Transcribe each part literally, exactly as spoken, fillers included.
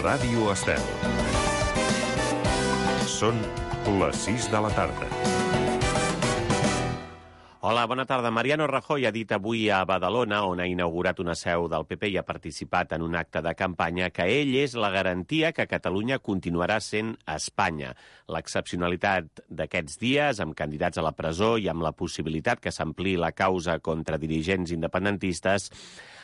Ràdio Estel. Són les sis de la tarda. Hola, bona tarda. Mariano Rajoy ha dit avui a Badalona, on ha inaugurat una seu del P P i ha participat en un acte de campanya, que ell és la garantia que Catalunya continuarà sent Espanya. L'excepcionalitat d'aquests dies, amb candidats a la presó i amb la possibilitat que s'ampliï la causa contra dirigents independentistes,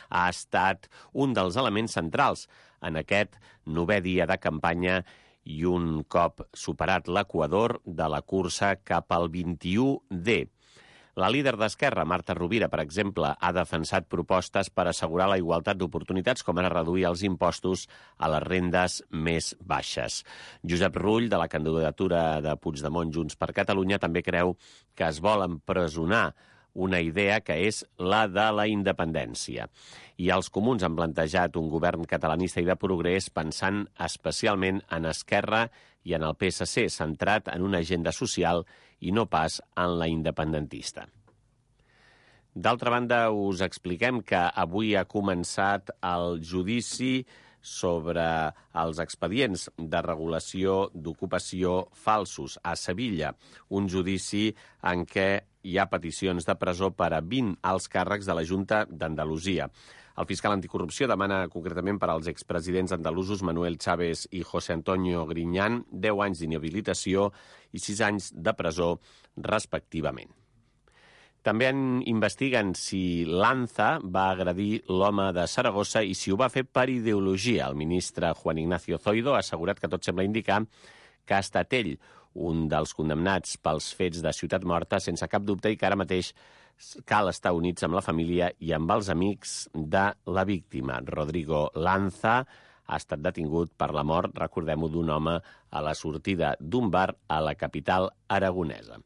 ha estat un dels elements centrals en aquest novè dia de campanya i un cop superat l'equador de la cursa cap al vint-i-u D. La líder d'Esquerra, Marta Rovira, per exemple, ha defensat propostes per assegurar la igualtat d'oportunitats, com ara reduir els impostos a les rendes més baixes. Josep Rull, de la candidatura de Puigdemont Junts per Catalunya, també creu que es vol empresonar una idea que és la de la independència. I els comuns han plantejat un govern catalanista i de progrés pensant especialment en Esquerra i en el P S C, centrat en una agenda social i no pas en la independentista. D'altra banda, us expliquem que avui ha començat el judici sobre els expedients de regulació d'ocupació falsos a Sevilla, un judici en què hi ha peticions de presó per a vint alts càrrecs de la Junta d'Andalusia. El fiscal anticorrupció demana concretament per als expresidents andalusos Manuel Chávez i José Antonio Griñán deu anys d'inhabilitació i sis anys de presó, respectivament. També en investiguen si Lanza va agredir l'home de Saragossa i si ho va fer per ideologia. El ministre Juan Ignacio Zoido ha assegurat que tot sembla indicar que ha estat ell un dels condemnats pels fets de Ciutat Morta, sense cap dubte, i que ara mateix cal estar units amb la família i amb els amics de la víctima. Rodrigo Lanza ha estat detingut per la mort, recordem-ho, d'un home a la sortida d'un bar a la capital aragonesa.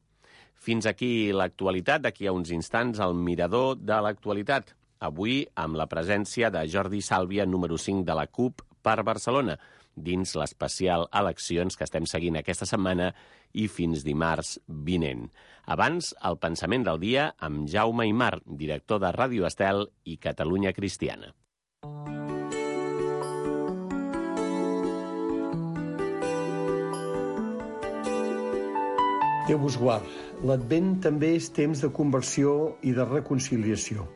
Fins aquí l'actualitat. D'aquí a uns instants, el mirador de l'actualitat. Avui amb la presència de Jordi Sàlvia, número cinc de la CUP per Barcelona, dins l'especial eleccions que estem seguint aquesta setmana i fins dimarts vinent. Abans, el pensament del dia amb Jaume Aymar, director de Ràdio Estel i Catalunya Cristiana. Déu vos guard. L'Advent també és temps de conversió i de reconciliació.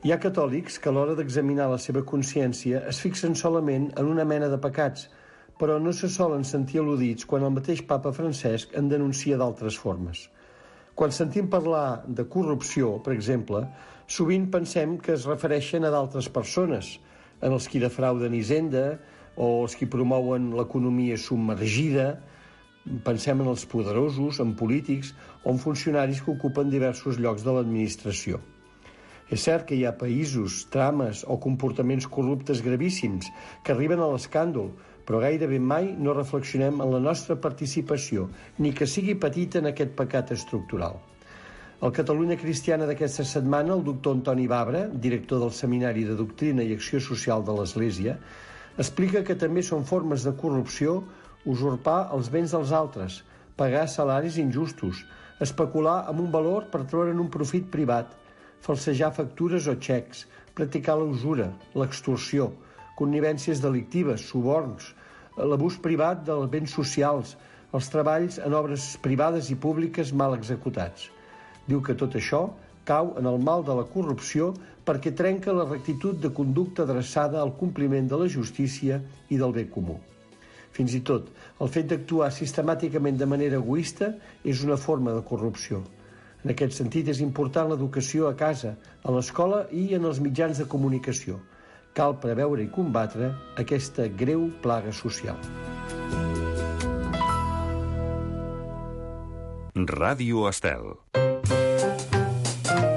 Hi ha catòlics que a l'hora d'examinar la seva consciència es fixen solament en una mena de pecats, però no se solen sentir al·ludits quan el mateix papa Francesc en denuncia d'altres formes. Quan sentim parlar de corrupció, per exemple, sovint pensem que es refereixen a d'altres persones, en els qui defrauden Hisenda o els qui promouen l'economia submergida. Pensem en els poderosos, en polítics o en funcionaris que ocupen diversos llocs de l'administració. És cert que hi ha països, trames o comportaments corruptes gravíssims que arriben a l'escàndol, però gairebé mai no reflexionem en la nostra participació, ni que sigui petita, en aquest pecat estructural. Al Catalunya Cristiana d'aquesta setmana, el doctor Antoni Babra, director del Seminari de Doctrina i Acció Social de l'Església, explica que també són formes de corrupció usurpar els béns dels altres, pagar salaris injustos, especular amb un valor per treure'n un profit privat, falsejar factures o xecs, practicar la usura, l'extorsió, connivències delictives, suborns, l'abús privat dels béns socials, els treballs en obres privades i públiques mal executats. Diu que tot això cau en el mal de la corrupció perquè trenca la rectitud de conducta adreçada al compliment de la justícia i del bé comú. Fins i tot, el fet d'actuar sistemàticament de manera egoista és una forma de corrupció. En aquest sentit, és important l'educació a casa, a l'escola i en els mitjans de comunicació. Cal preveure i combatre aquesta greu plaga social. Ràdio Estel.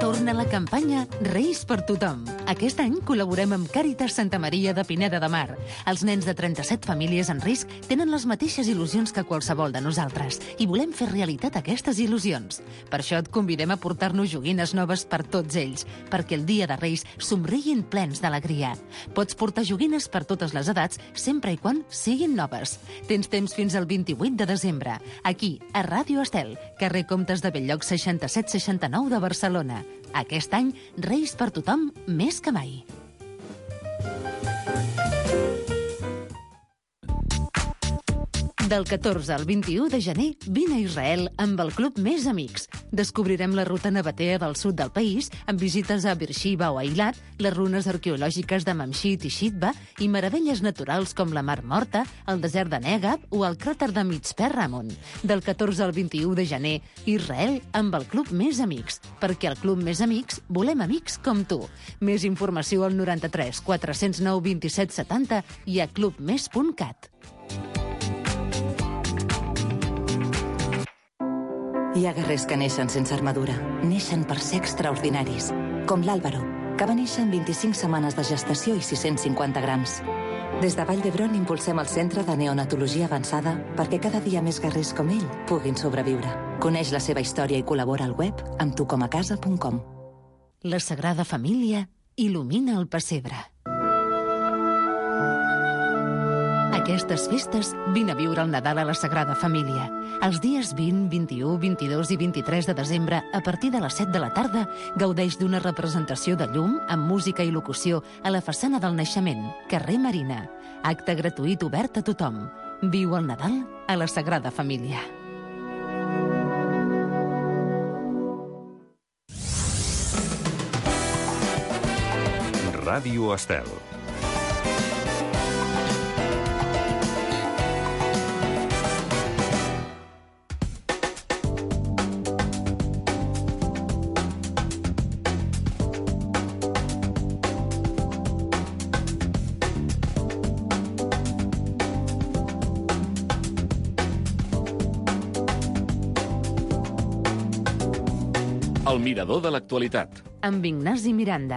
Torna la campanya Reis per tothom. Aquest any col·laborem amb Càritas Santa Maria de Pineda de Mar. Els nens de trenta-set famílies en risc tenen les mateixes il·lusions que qualsevol de nosaltres i volem fer realitat aquestes il·lusions. Per això et convidem a portar-nos joguines noves per tots ells, perquè el dia de Reis somriguin plens d'alegria. Pots portar joguines per totes les edats, sempre i quan siguin noves. Tens temps fins al vint-i-vuit de desembre, aquí, a Ràdio Estel, carrer Comtes de Bell-lloc seixanta-set seixanta-nou de Barcelona. Aquest any, Reis per tothom més que mai. Del catorze al vint-i-u de gener, vine a Israel amb el Club Més Amics. Descobrirem la ruta nabatea del sud del país, amb visites a Beersheba o Eilat, les runes arqueològiques de Mamshit i Shitba i meravelles naturals com la Mar Morta, el desert de Negab o el cràter de Mitzpe Ramon. Del catorze al vint-i-u de gener, Israel amb el Club Més Amics. Perquè al Club Més Amics volem amics com tu. Més informació al noranta-tres quatre-cents nou vint-i-set setanta i a club més punt cat. Hi ha guerrers que neixen sense armadura. Neixen per ser extraordinaris. Com l'Àlvaro, que va néixer amb vint-i-cinc setmanes de gestació i sis-cents cinquanta grams. Des de Vall d'Hebron impulsem el Centre de Neonatologia Avançada perquè cada dia més guerrers com ell puguin sobreviure. Coneix la seva història i col·labora al web amb tucomacasa punt com. La Sagrada Família il·lumina el pessebre. Aquestes festes, vine a viure el Nadal a la Sagrada Família. Els dies vint, vint-i-u, vint-i-dos i vint-i-tres de desembre, a partir de les set de la tarda, gaudeix d'una representació de llum amb música i locució a la façana del Naixement, carrer Marina. Acte gratuït obert a tothom. Viu el Nadal a la Sagrada Família. Ràdio Estel. El mirador de l'actualitat. Amb Ignasi Miranda.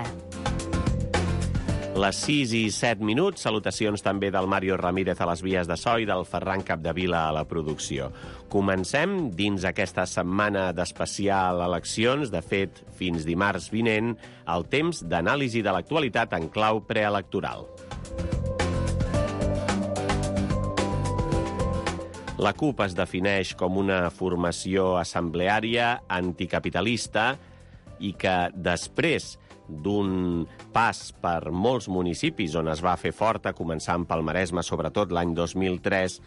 Les sis i set minuts, salutacions també del Mario Ramírez a les vies de so i del Ferran Capdevila a la producció. Comencem dins aquesta setmana d'especial eleccions, de fet, fins dimarts vinent, el temps d'anàlisi de l'actualitat en clau preelectoral. La CUP es defineix com una formació assembleària anticapitalista i que després d'un pas per molts municipis on es va fer forta, començant pel Maresme, sobretot l'any dos mil tres,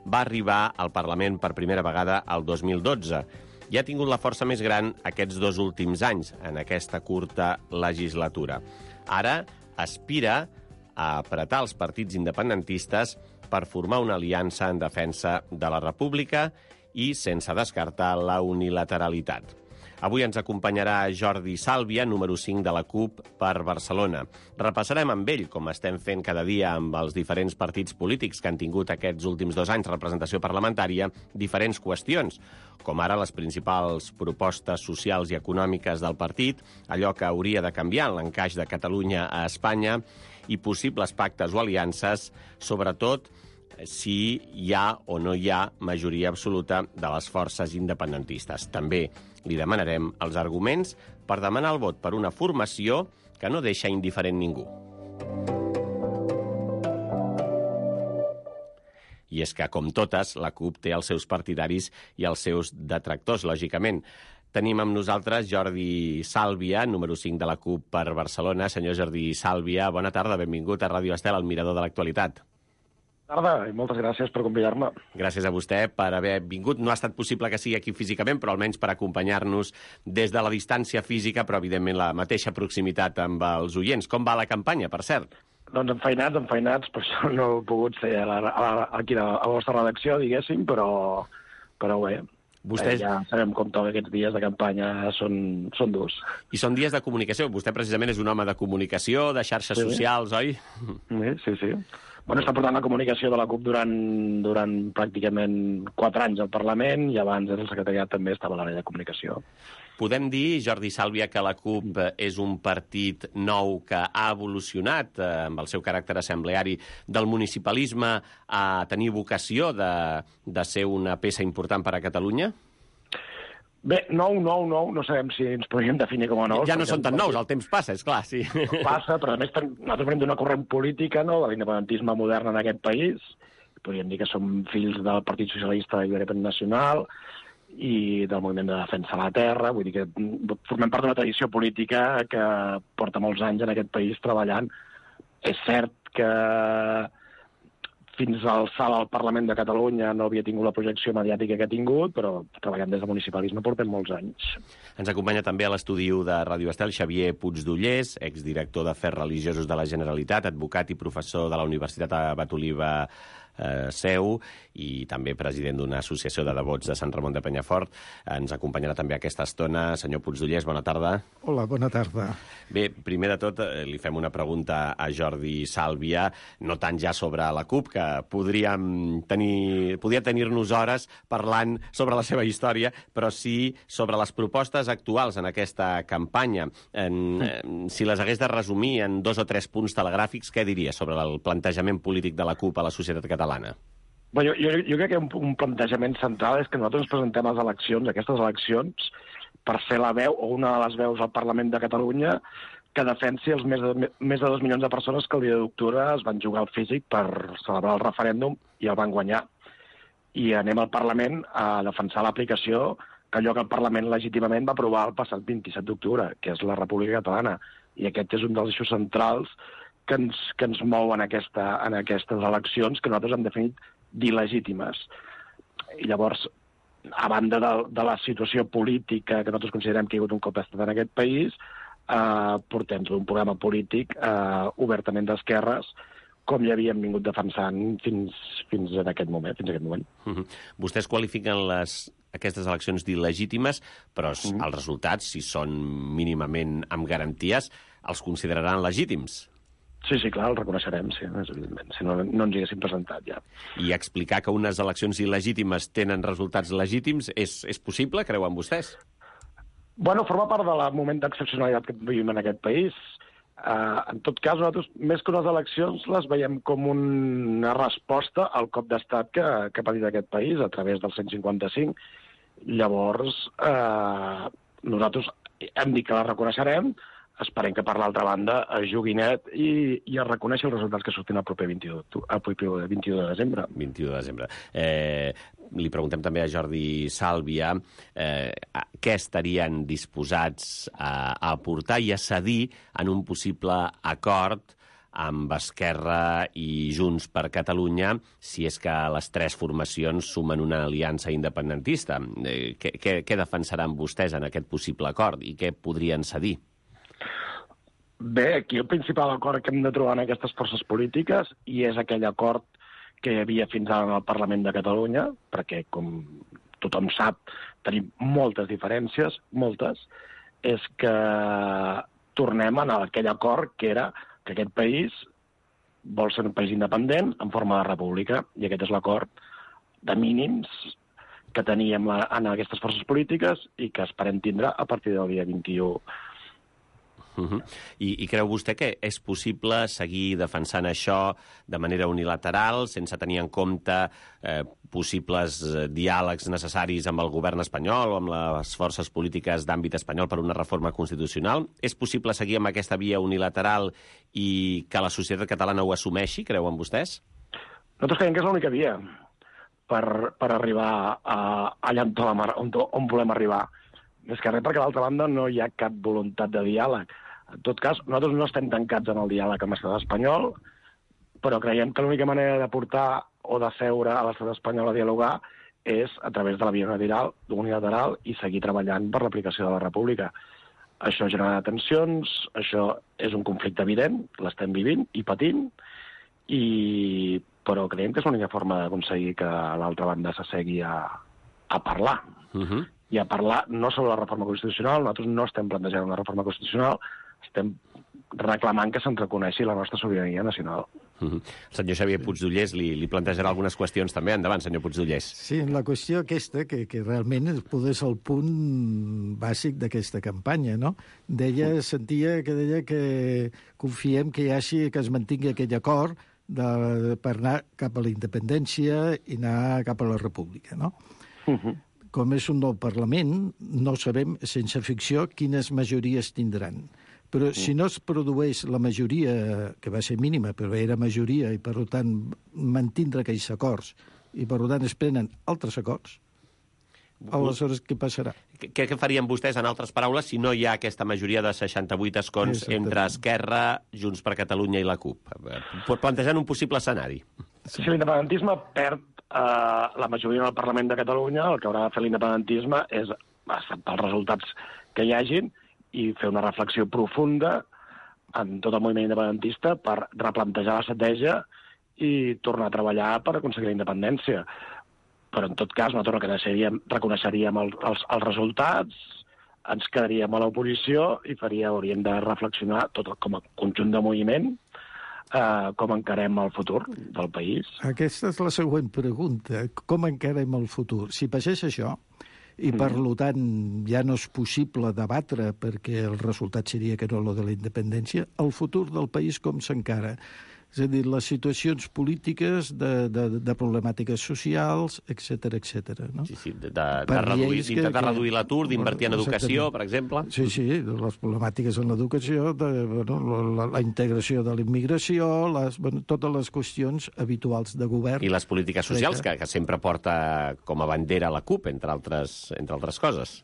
va arribar al Parlament per primera vegada el dos mil dotze. I ha tingut la força més gran aquests dos últims anys, en aquesta curta legislatura. Ara aspira a apretar els partits independentistes per formar una aliança en defensa de la República i sense descartar la unilateralitat. Avui ens acompanyarà Jordi Sàlvia, número cinc de la CUP per Barcelona. Repassarem amb ell, com estem fent cada dia amb els diferents partits polítics que han tingut aquests últims dos anys representació parlamentària, diferents qüestions, com ara les principals propostes socials i econòmiques del partit, allò que hauria de canviar en l'encaix de Catalunya a Espanya i possibles pactes o aliances, sobretot si hi ha o no hi ha majoria absoluta de les forces independentistes. També li demanarem els arguments per demanar el vot per una formació que no deixa indiferent ningú. I és que, com totes, la CUP té els seus partidaris i els seus detractors, lògicament. Tenim amb nosaltres Jordi Sàlvia, número cinc de la CUP per Barcelona. Senyor Jordi Sàlvia, bona tarda, benvingut a Ràdio Estel, al mirador de l'actualitat. Tarda, i moltes gràcies per convidar-me. Gràcies a vostè per haver vingut. No ha estat possible que sigui aquí físicament, però almenys per acompanyar-nos des de la distància física, però evidentment la mateixa proximitat amb els oients. Com va la campanya, per cert? Doncs enfeinats, enfeinats, per això no he pogut ser a la, a la, aquí a la vostra redacció, diguéssim, però, però bé, Vostès... ja sabem com toca aquests dies de campanya, són, són durs. I són dies de comunicació. Vostè precisament és un home de comunicació, de xarxes sí. socials, oi? Sí, sí, sí. Bueno, està portant la comunicació de la CUP durant, durant pràcticament quatre anys al Parlament i abans el secretariat també estava a l'àrea de comunicació. Podem dir, Jordi Sàlvia, que la CUP és un partit nou que ha evolucionat eh, amb el seu caràcter assembleari del municipalisme a tenir vocació de, de ser una peça important per a Catalunya? Bé, nou, nou, nou, no sabem si ens podríem definir com a nous. Ja no són tan nous, el temps passa, és clar, sí. Passa, però a més nosaltres venim d'una corrent política, no?, de l'independentisme modern en aquest país. Podríem dir que som fills del Partit Socialista i Independent Nacional i del moviment de defensa de la terra. Vull dir que formem part d'una tradició política que porta molts anys en aquest país treballant. És cert que fins al salt al Parlament de Catalunya no havia tingut la projecció mediàtica que ha tingut, però treballant des de municipalisme portem molts anys. Ens acompanya també a l'estudi de Ràdio Estel Xavier Puigdollers, exdirector d'Afers Religiosos de la Generalitat, advocat i professor de la Universitat Abat Oliva eh, Seu i també president d'una associació de devots de Sant Ramon de Penyafort. Ens acompanyarà també aquesta estona. Senyor Puigdollers, bona tarda. Hola, bona tarda. Bé, primer de tot, eh, li fem una pregunta a Jordi Sàlvia, no tant ja sobre la CUP, que podríem tenir, podria tenir-nos hores parlant sobre la seva història, però sí sobre les propostes actuals en aquesta campanya. En, eh, si les hagués de resumir en dos o tres punts telegràfics, què diria sobre el plantejament polític de la CUP a la societat catalana? Bueno, jo, jo crec que un, un plantejament central és que nosaltres ens presentem a les eleccions, aquestes eleccions, per ser la veu o una de les veus al Parlament de Catalunya que defensi els més de, més de dos milions de persones que el dia d'octubre es van jugar al físic per celebrar el referèndum i el van guanyar. I anem al Parlament a defensar l'aplicació que allò que el Parlament legítimament va aprovar el passat vint-i-set d'octubre, que és la República Catalana. I aquest és un dels eixos centrals que ens, que ens mou en, aquesta, en aquestes eleccions que nosaltres hem definit d'il·legítimes. I llavors, a banda de, de la situació política que nosaltres considerem que hi ha hagut un cop d'estat en aquest país, eh, portem tot un programa polític eh, obertament d'esquerres, com ja havíem vingut defensant fins, fins en aquest moment. Fins en aquest moment. Uh -huh. Vostès qualifiquen les, aquestes eleccions d'il·legítimes, però uh -huh. els resultats, si són mínimament amb garanties, els consideraran legítims. Sí, sí, clar, el reconeixerem, sí, evidentment, si no, no ens hi haguéssim presentat ja. I explicar que unes eleccions il·legítimes tenen resultats legítims és, és possible, creuen vostès? Bueno, forma part del moment d'excepcionalitat que vivim en aquest país. Uh, en tot cas, nosaltres, més que unes eleccions, les veiem com una resposta al cop d'estat que, que ha patit aquest país a través del cent cinquanta cinc. Llavors, uh, nosaltres hem dit que la reconeixerem, esperem que, per l'altra banda, es jugui net i, i es reconeixi els resultats que surtin el proper vint-i-u de desembre. vint-i-u de desembre. Eh, li preguntem també a Jordi Sàlvia eh, què estarien disposats a, a aportar i a cedir en un possible acord amb Esquerra i Junts per Catalunya, si és que les tres formacions sumen una aliança independentista. Eh, què, què, què defensaran vostès en aquest possible acord i què podrien cedir? Bé, aquí el principal acord que hem de trobar en aquestes forces polítiques, i és aquell acord que hi havia fins ara en el Parlament de Catalunya, perquè, com tothom sap, tenim moltes diferències, moltes, és que tornem a aquell acord que era que aquest país vol ser un país independent en forma de república, i aquest és l'acord de mínims que teníem en aquestes forces polítiques i que esperem tindre a partir del dia vint-i-u. Uh -huh. I, I creu vostè que és possible seguir defensant això de manera unilateral, sense tenir en compte eh, possibles eh, diàlegs necessaris amb el govern espanyol o amb les forces polítiques d'àmbit espanyol per una reforma constitucional? És possible seguir amb aquesta via unilateral i que la societat catalana ho assumeixi, creuen vostès? Nosaltres creiem que és l'única via per, per arribar a, allà on, on volem arribar. Més que res perquè, a l'altra banda, no hi ha cap voluntat de diàleg. En tot cas, nosaltres no estem tancats en el diàleg amb l'estat espanyol, però creiem que l'única manera de portar o de seure a l'estat espanyol a dialogar és a través de la via unilateral, unilateral i seguir treballant per l'aplicació de la república. Això genera tensions, això és un conflicte evident, l'estem vivint i patint, i... però creiem que és l'única forma d'aconseguir que l'altra banda s'assegui a, a parlar. Uh-huh. I a parlar no sobre la reforma constitucional, nosaltres no estem plantejant una reforma constitucional, estem reclamant que se'ns reconeixi la nostra sobirania nacional. Uh-huh. El senyor Xavier Puigdollers li, li plantejarà algunes qüestions també. Endavant, senyor Puigdollers. Sí, la qüestió aquesta, que, que realment és el punt bàsic d'aquesta campanya, no? Deia, sentia que deia que confiem que hi hagi, que es mantingui aquell acord de, per anar cap a la independència i anar cap a la república, no? Uh-huh. Com és un nou Parlament, no sabem, sense ficció, quines majories tindran. Però si no es produeix la majoria, que va ser mínima, però era majoria, i per tant mantindre aquells acords, i per tant es prenen altres acords, aleshores què passarà? Què, què farien vostès, en altres paraules, si no hi ha aquesta majoria de seixanta-vuit escons entre Esquerra, Junts per Catalunya i la CUP? Plantejant un possible escenari. si l'independentisme perd eh, la majoria del Parlament de Catalunya, el que haurà de fer l'independentisme és acceptar els resultats que hi hagin i fer una reflexió profunda en tot el moviment independentista per replantejar l'estratègia i tornar a treballar per aconseguir la independència. Però, en tot cas, nosaltres reconeixeríem, reconeixeríem el, els, els resultats, ens quedaríem a l'oposició i faria, hauríem de reflexionar tot com a conjunt de moviment eh, com encarem el futur del país. Aquesta és la següent pregunta. Com encarem el futur? Si passés això, i per tant ja no és possible debatre perquè el resultat seria que no lo de la independència, el futur del país com s'encara? És a dir, les situacions polítiques de, de, de problemàtiques socials, etcètera, etcètera. No? Sí, sí, de, de, de reduir, d'intentar que... reduir l'atur, d'invertir en educació, per exemple. Sí, sí, les problemàtiques en l'educació, de, bueno, la, la integració de la immigració, les, bueno, totes les qüestions habituals de govern. I les polítiques socials, que, que sempre porta com a bandera la CUP, entre altres, entre altres coses.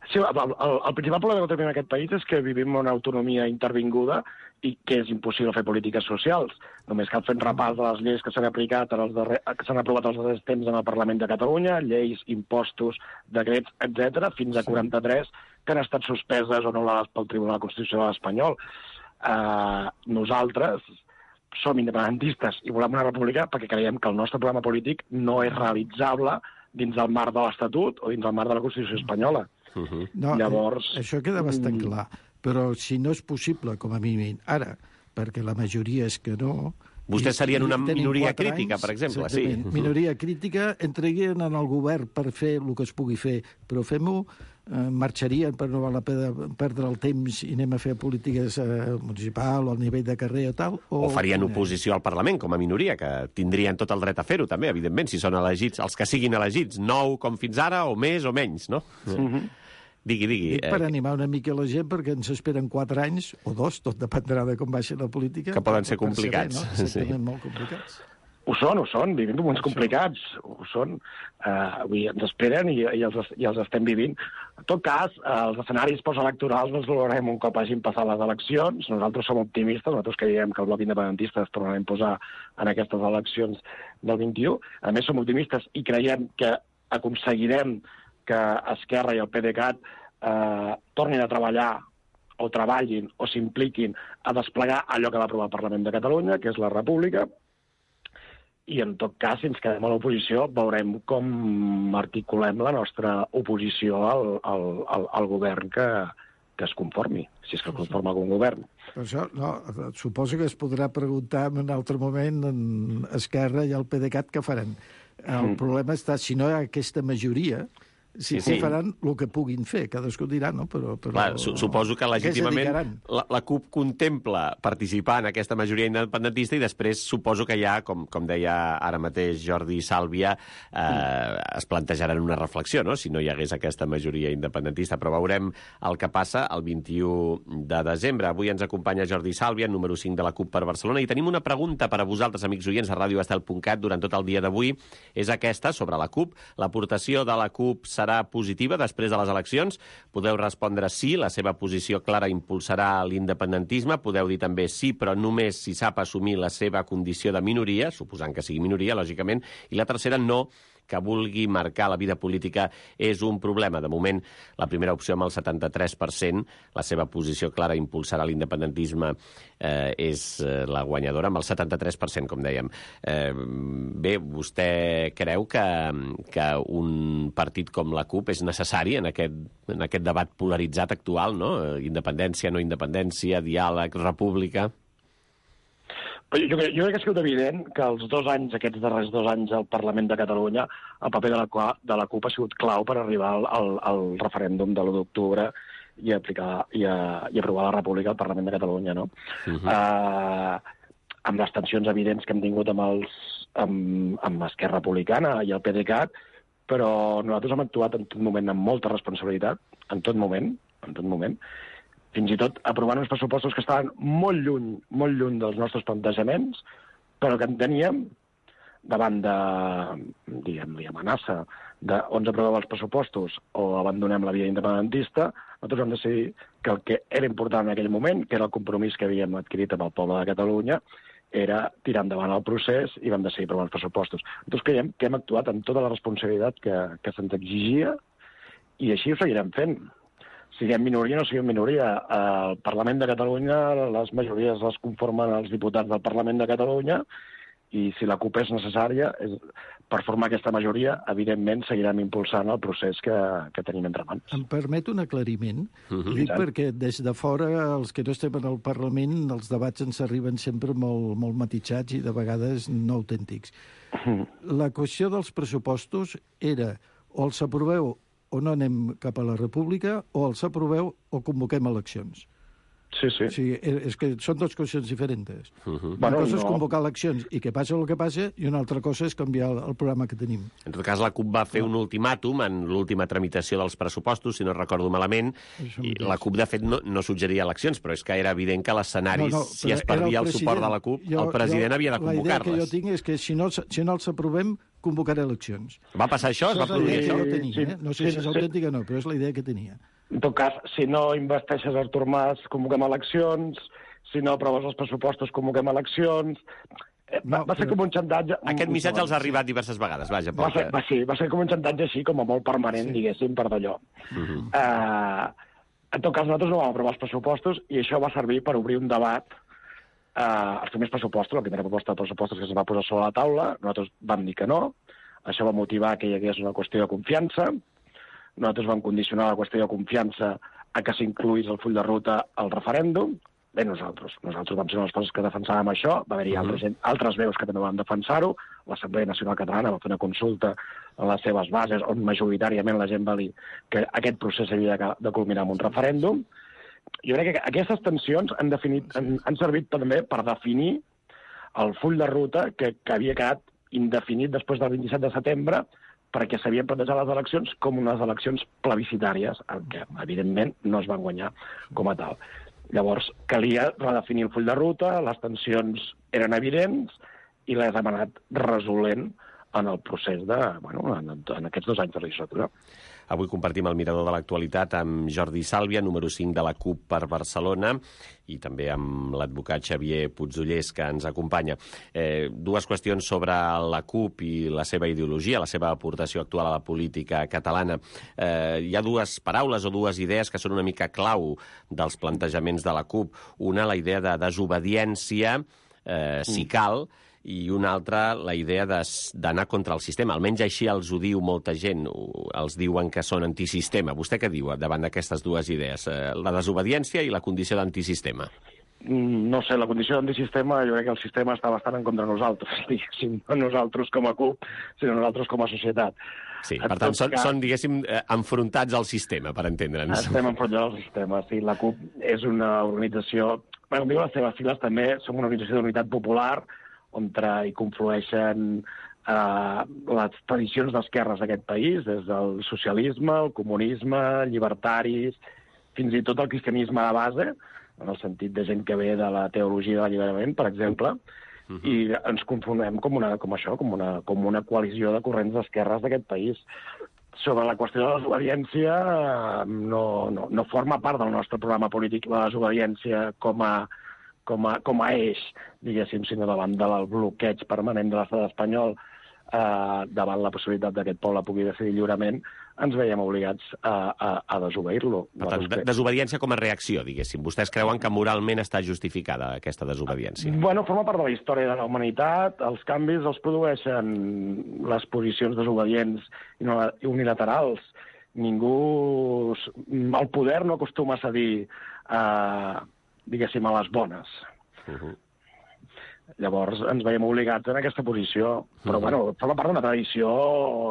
Sí, el, el, el principal problema que tenim en aquest país és que vivim una autonomia intervinguda i que és impossible fer polítiques socials. Només cal fer un repàs de les lleis que s'han aplicat en els darrer, que s'han aprovat els darrers temps en el Parlament de Catalunya, lleis, impostos, decrets, etcètera, fins a quaranta-tres que han estat suspeses o anul·lades pel Tribunal Constitucional espanyol. Uh, nosaltres som independentistes i volem una república perquè creiem que el nostre programa polític no és realitzable dins el marc de l'Estatut o dins el marc de la Constitució espanyola. Uh-huh. No, Llavors... Això queda bastant clar, però si no és possible, com a mínim, ara, perquè la majoria és que no... Vostès serien una minoria crítica, anys, per exemple, sí. Minoria crítica, entreguien en el govern per fer el que es pugui fer, però fem-ho, eh, marxarien per no val la pena perdre el temps i anem a fer polítiques eh, municipal o al nivell de carrer o tal. O, o farien oposició al Parlament, com a minoria, que tindrien tot el dret a fer-ho, també, evidentment, si són elegits, els que siguin elegits, nou com fins ara, o més o menys, no? Mm-hmm. Digui, digui. Dic per animar una mica la gent, perquè ens esperen quatre anys, o dos, tot dependrà de com vagi la política. Que poden ser complicats. Ser, no? Exactament, sí. Molt complicats. Ho són, ho són, vivim moments complicats, ho són. Uh, avui ens esperen i, i, els, i els estem vivint. En tot cas, uh, els escenaris postelectorals no els valorarem un cop hagin passat les eleccions. Nosaltres som optimistes, nosaltres creiem que el bloc independentista es tornarà a imposar en aquestes eleccions del vint-i-u. A més, som optimistes i creiem que aconseguirem que Esquerra i el PDeCAT eh, tornin a treballar o treballin o s'impliquin a desplegar allò que va aprovar el Parlament de Catalunya, que és la República, i en tot cas, si ens quedem a l'oposició, veurem com articulem la nostra oposició al, al, al, al govern que, que es conformi, si és que es conforma algun govern. Per això, no, suposo que es podrà preguntar en un altre moment en Esquerra i el PDeCAT què faran. El mm. problema està, si no hi ha aquesta majoria, si sí, sí. faran el que puguin fer, cadascú dirà, no? Però, però... Clar, su suposo que legítimament la, la CUP contempla participar en aquesta majoria independentista i després suposo que ja, com, com deia ara mateix Jordi Sàlvia, eh, mm. es plantejaran una reflexió, no?, si no hi hagués aquesta majoria independentista. Però veurem el que passa el vint-i-u de desembre. Avui ens acompanya Jordi Sàlvia, número cinc de la CUP per Barcelona, i tenim una pregunta per a vosaltres, amics oients, a radio estel punt cat durant tot el dia d'avui. És aquesta, sobre la CUP. L'aportació de la CUP serà positiva després de les eleccions? Podeu respondre sí, la seva posició clara impulsarà l'independentisme. Podeu dir també sí, però només si sap assumir la seva condició de minoria, suposant que sigui minoria, lògicament. I la tercera, no, que vulgui marcar la vida política és un problema. De moment, la primera opció amb el setanta-tres per cent, la seva posició clara impulsarà l'independentisme, eh, és eh, la guanyadora, amb el setanta-tres per cent, com dèiem. Eh, bé, vostè creu que, que un partit com la CUP és necessari en aquest, en aquest debat polaritzat actual, no? Independència, no independència, diàleg, república... Jo crec, jo crec que ha sigut evident que els dos anys, aquests darrers dos anys al Parlament de Catalunya, el paper de la, de la CUP ha sigut clau per arribar al, al, al referèndum de l'u d'octubre i, aplicar, i, a, i aprovar la República al Parlament de Catalunya, no? Uh-huh. uh, amb les tensions evidents que hem tingut amb, els, amb, amb Esquerra Republicana i el PDeCAT, però nosaltres hem actuat en tot moment amb molta responsabilitat, en tot moment, en tot moment, fins i tot aprovant uns pressupostos que estaven molt lluny, molt lluny dels nostres plantejaments, però que enteníem, davant de, diguem-li, amenaça de on ens aprovem els pressupostos o abandonem la via independentista, nosaltres vam decidir que el que era important en aquell moment, que era el compromís que havíem adquirit amb el poble de Catalunya, era tirar endavant el procés i vam decidir aprovar els pressupostos. Nosaltres creiem que hem actuat amb tota la responsabilitat que, que se'ns exigia i així ho seguirem fent. Siguem minoria o no siguem minoria. Al Parlament de Catalunya les majories les conformen els diputats del Parlament de Catalunya i si la CUP és necessària és, per formar aquesta majoria, evidentment seguirem impulsant el procés que, que tenim entre mans. Em permet un aclariment? Uh-huh. Dic perquè des de fora, els que no estem en el Parlament, els debats ens arriben sempre molt, molt matitzats i de vegades no autèntics. Uh-huh. La qüestió dels pressupostos era o els aproveu o no anem cap a la República, o els aproveu o convoquem eleccions. Sí, sí. O sigui, és que són dues qüestions diferents. Uh-huh. Una Bueno, cosa és no. convocar eleccions i que passa el que passa, i una altra cosa és canviar el, el programa que tenim. En tot cas, la CUP va fer un ultimàtum en l'última tramitació dels pressupostos, si no recordo malament, Això i mateix. la CUP, de fet, no, no suggeria eleccions, però és que era evident que l'escenari, No, no, si però es era perdia el, president. suport de la CUP, Jo- el president jo- havia de La idea que jo convocar-les. tinc és que si no, si no els aprovem, convocaré eleccions. Va passar això? Es va Això és la produir idea que això? jo tenia. Sí, Eh? No sé sí, si és sí. autèntica o no, però és la idea que tenia. En tot cas, si no investeixes Artur Mas, convoquem eleccions, si no aproves els pressupostos, convoquem eleccions. Eh, Va, No, va ser però- com un xantatge... Aquest missatge els ha arribat diverses vegades, vaja. Va ser, Perquè... va, sí, va ser com un xantatge així, com a molt permanent, sí. diguéssim, per d'allò. Uh -huh. Uh, en tot cas, nosaltres no vam aprovar els pressupostos i això va servir per obrir un debat. Uh, els primers pressupostos, la primera proposta de pressupostos que es va posar sobre la taula, nosaltres vam dir que no. Això va motivar que hi hagués una qüestió de confiança. Nosaltres vam condicionar la qüestió de confiança a que s'incluís el full de ruta al referèndum. Bé, nosaltres. Nosaltres vam ser les persones que defensàvem això. Va haver-hi uh -huh. altres, altres veus que també van defensar-ho. L'Assemblea Nacional Catalana va fer una consulta en les seves bases on majoritàriament la gent va dir que aquest procés havia de, de culminar amb un referèndum. Jo crec que aquestes tensions han, definit, han, han servit també per definir el full de ruta que, que havia quedat indefinit després del vint-i-set de setembre perquè s'havien plantejat les eleccions com unes eleccions plebiscitàries, el que, evidentment, no es van guanyar com a tal. Llavors, calia redefinir el full de ruta, les tensions eren evidents i les hem anat resolent en el procés de, bueno, en, en aquests dos anys de legislatura. Avui compartim el mirador de l'actualitat amb Jordi Sàlvia, número cinc de la CUP per Barcelona, i també amb l'advocat Xavier Puigdollers, que ens acompanya. Eh, dues qüestions sobre la CUP i la seva ideologia, la seva aportació actual a la política catalana. Eh, hi ha dues paraules o dues idees que són una mica clau dels plantejaments de la CUP. Una, la idea de desobediència, eh, si cal, i una altra, la idea d'anar contra el sistema. Almenys així els ho diu molta gent, els diuen que són antisistema. Vostè què diu davant d'aquestes dues idees? La desobediència i la condició d'antisistema. No sé, la condició d'antisistema, jo crec que el sistema està bastant en contra de nosaltres, diguéssim, no nosaltres com a CUP, sinó nosaltres com a societat. Sí, per tant, són, cas, són, diguéssim, enfrontats al sistema, per entendre'ns. Estem enfrontats al sistema, sí. La CUP és una organització... Bé, com diu les seves sigles, també som una organització d'unitat popular, on hi conflueixen eh, les tradicions d'esquerres d'aquest país, des del socialisme, el comunisme, llibertaris, fins i tot el cristianisme de base, en el sentit de gent que ve de la teologia de l'alliberament, per exemple, uh-huh. i ens confonem com, una, com això, com una, com una coalició de corrents d'esquerres d'aquest país. Sobre la qüestió de la desobediència, no, no, no forma part del nostre programa polític la desobediència com a Com a, com a eix, diguéssim, sinó davant del bloqueig permanent de l'estat espanyol, eh, davant la possibilitat que aquest poble pugui decidir lliurement, ens veiem obligats a, a, a desobeir-lo. Per tant, de, desobediència com a reacció, diguéssim. Vostès creuen que moralment està justificada aquesta desobediència? Bueno, forma part de la història de la humanitat. Els canvis els produeixen les posicions desobedients i unilaterals. Ningú... El poder no acostuma a cedir a... diguéssim, a les bones. Uh-huh. Llavors ens veiem obligats en aquesta posició. Però, uh-huh. bueno, forma part d'una tradició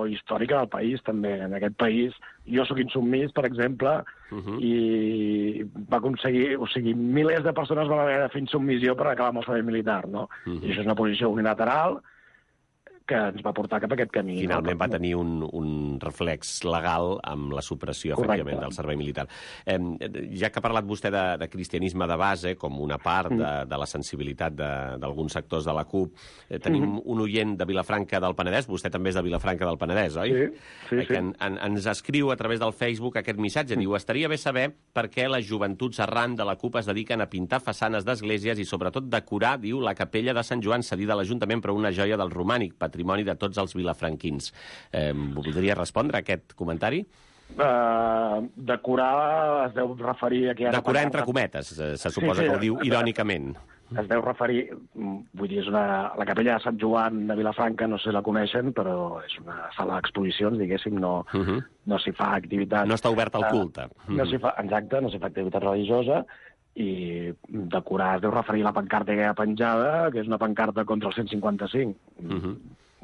històrica del país, també. En aquest país, jo sóc insubmís, per exemple, uh-huh. i va aconseguir... O sigui, milers de persones van haver de fer insubmissió per acabar amb el servei militar, no? Uh-huh. I això és una posició unilateral que ens va portar cap a aquest camí. Finalment va tenir un, un reflex legal amb la supressió, efectivament, del servei militar. Eh, ja que ha parlat vostè de, de cristianisme de base, com una part de, de la sensibilitat d'alguns sectors de la CUP, eh, tenim mm. un oient de Vilafranca del Penedès, vostè també és de Vilafranca del Penedès, oi? Sí, sí, sí. Que en, en, ens escriu a través del Facebook aquest missatge, diu, estaria bé saber per què les joventuts arran de la CUP es dediquen a pintar façanes d'esglésies i sobretot decorar, diu, la capella de Sant Joan cedida a l'Ajuntament per una joia del romànic, patrimoni de tots els vilafranquins. Eh, voldria respondre a aquest comentari? Uh, decorar es deu referir a que... Decorar entre cometes, se, se suposa sí, sí, que ho diu irònicament. Es deu referir, vull dir, és una, la capella de Sant Joan de Vilafranca, no sé si la coneixen, però és una sala d'exposicions, diguéssim, no, uh -huh. no s'hi fa activitat... No està oberta al culte. Uh, no s'hi fa, exacte, no s'hi fa activitat religiosa, i decorar es deu referir a la pancarta que hi ha penjada, que és una pancarta contra el cent cinquanta-cinc. Uh -huh.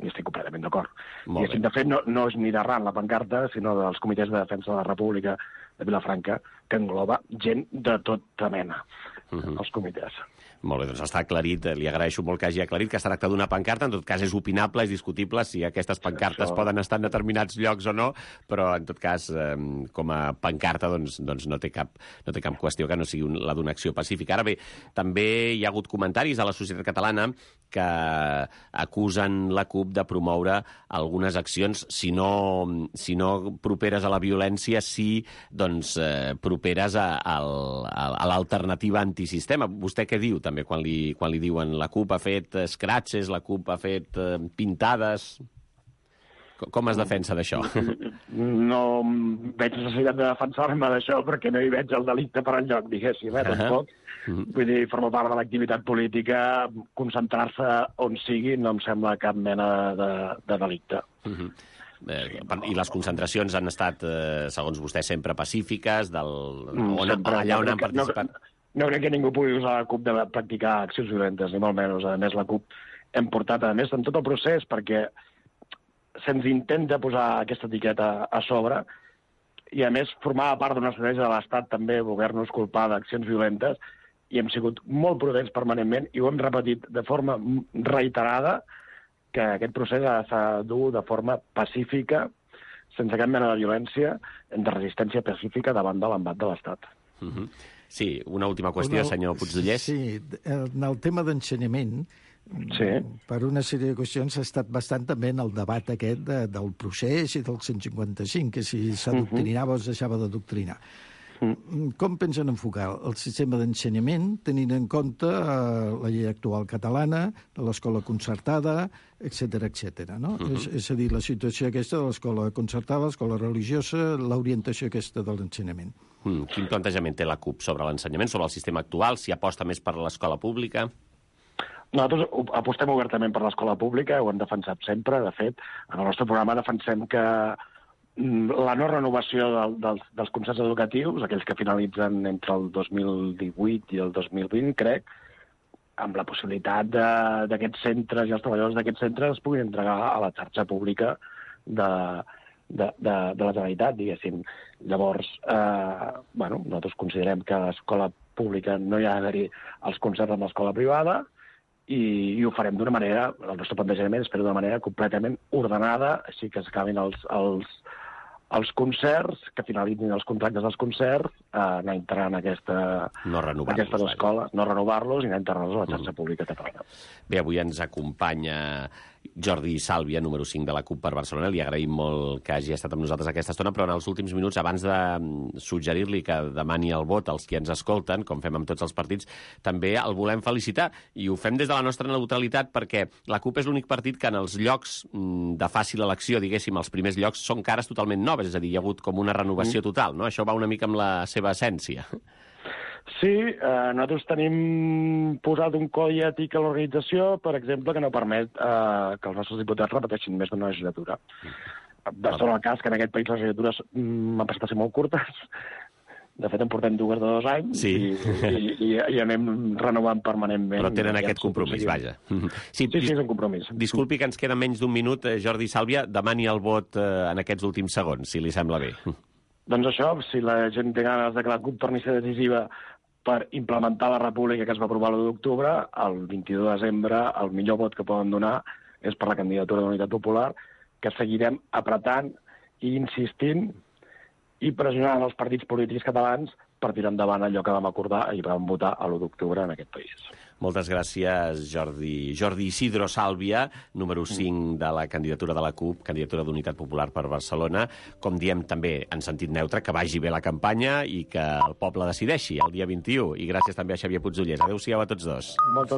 I estic completament d'acord. I, de fet, no, no és ni d'arran la pancarta, sinó dels comitès de defensa de la República de Vilafranca, que engloba gent de tota mena, uh -huh. els comitès. Molt bé, doncs està aclarit, li agraeixo molt que hagi aclarit que es tracta d'una pancarta, en tot cas és opinable, és discutible si aquestes pancartes Això... poden estar en determinats llocs o no, però en tot cas, eh, com a pancarta, doncs, doncs no, té cap, no té cap qüestió que no sigui un, la d'una acció pacífica. Ara bé, també hi ha hagut comentaris a la societat catalana que acusen la CUP de promoure algunes accions, si no, si no properes a la violència, sí doncs, eh, properes a, a, a l'alternativa antisistema. Vostè què diu, també, quan li, quan li diuen la CUP ha fet scratches, la CUP ha fet eh, pintades... Com es defensa d'això? No veig necessitat de defensar-me d'això perquè no hi veig el delicte per enlloc, diguéssim, eh, tampoc. Uh -huh. Vull dir, forma part de l'activitat política, concentrar-se on sigui no em sembla cap mena de, de delicte. Uh -huh. Eh, I les concentracions han estat, eh, segons vostè, sempre pacífiques, del... on, sempre, allà on no, han participat? No, no crec que ningú pugui usar la CUP de practicar accions violentes, ni molt menys. A més, la CUP hem portat, a més, en tot el procés, perquè se'ns intenta posar aquesta etiqueta a sobre i, a més, formava part d'una estratègia de l'Estat també voler-nos culpar d'accions violentes i hem sigut molt prudents permanentment i ho hem repetit de forma reiterada que aquest procés ha de ser dur de forma pacífica, sense cap mena de violència, de resistència pacífica davant de l'embat de l'Estat. Uh -huh. Sí, una última qüestió, una... senyor Puigdollers. Sí, en el tema d'ensenyament, sí. per una sèrie de qüestions ha estat bastant també en el debat aquest de, del procés i del cent cinquanta-cinc, que si s'adoctrinava uh -huh. o es deixava d'adoctrinar. Com pensen enfocar el sistema d'ensenyament tenint en compte eh, la llei actual catalana, de l'escola concertada, etcètera, etcètera, no? Uh-huh. és, és a dir, la situació aquesta de l'escola concertada, l'escola religiosa, l'orientació aquesta de l'ensenyament. Mm, quin plantejament té la CUP sobre l'ensenyament, sobre el sistema actual, si aposta més per l'escola pública? Nosaltres apostem obertament per l'escola pública, ho hem defensat sempre. De fet, en el nostre programa defensem que la no renovació del, dels, dels concerts educatius, aquells que finalitzen entre el dos mil divuit i el dos mil vint, crec, amb la possibilitat d'aquests centres i els treballadors d'aquests centres es puguin entregar a la xarxa pública de, de, de, de la Generalitat, diguéssim. Llavors, eh, bueno, nosaltres considerem que a l'escola pública no hi ha d'haver-hi els concerts amb l'escola privada i, i ho farem d'una manera, el nostre plantejament és fer-ho d'una manera completament ordenada, així que s'acabin els, els els concerts, que finalitzin els contractes dels concerts, eh, anar integrant aquesta, no aquestes escoles, no renovar-los i anar integrant-los a la xarxa mm. pública catalana. Bé, avui ens acompanya Jordi Sàlvia, número cinc de la CUP per Barcelona. Li agraïm molt que hagi estat amb nosaltres aquesta estona, però en els últims minuts, abans de suggerir-li que demani el vot als qui ens escolten, com fem amb tots els partits, també el volem felicitar. I ho fem des de la nostra neutralitat perquè la CUP és l'únic partit que en els llocs de fàcil elecció, diguéssim, els primers llocs, són cares totalment noves, és a dir, hi ha hagut com una renovació total, no? Això va una mica amb la seva essència. Sí, eh, nosaltres tenim posat un codi ètic a l'organització, per exemple, que no permet eh, que els nostres diputats repeteixin més d'una legislatura. De tot el cas que en aquest país les legislatures m'han passat a ser molt curtes. De fet, en portem dues de dos anys sí. i, i, i, i anem renovant permanentment. Però tenen aquest compromís, vaja. Sí, sí, sí, és un compromís. Disculpi que ens queda menys d'un minut, Jordi Sàlvia, demani el vot eh, en aquests últims segons, si li sembla bé. Doncs això, si la gent té ganes de que la CUP torni a ser decisiva per implementar la república que es va aprovar l'u d'octubre, el vint-i-dos de desembre el millor vot que poden donar és per la candidatura d'Unitat Popular, que seguirem apretant i insistint i pressionant els partits polítics catalans per tirar endavant allò que vam acordar i vam votar a l'u d'octubre en aquest país. Moltes gràcies, Jordi. Jordi Isidro Sàlvia, número cinc de la candidatura de la CUP, candidatura d'Unitat Popular per Barcelona. Com diem també en sentit neutre, que vagi bé la campanya i que el poble decideixi el dia vint-i-u. I gràcies també a Xavier Puigdollers. Adéu-siau a tots dos. Moltes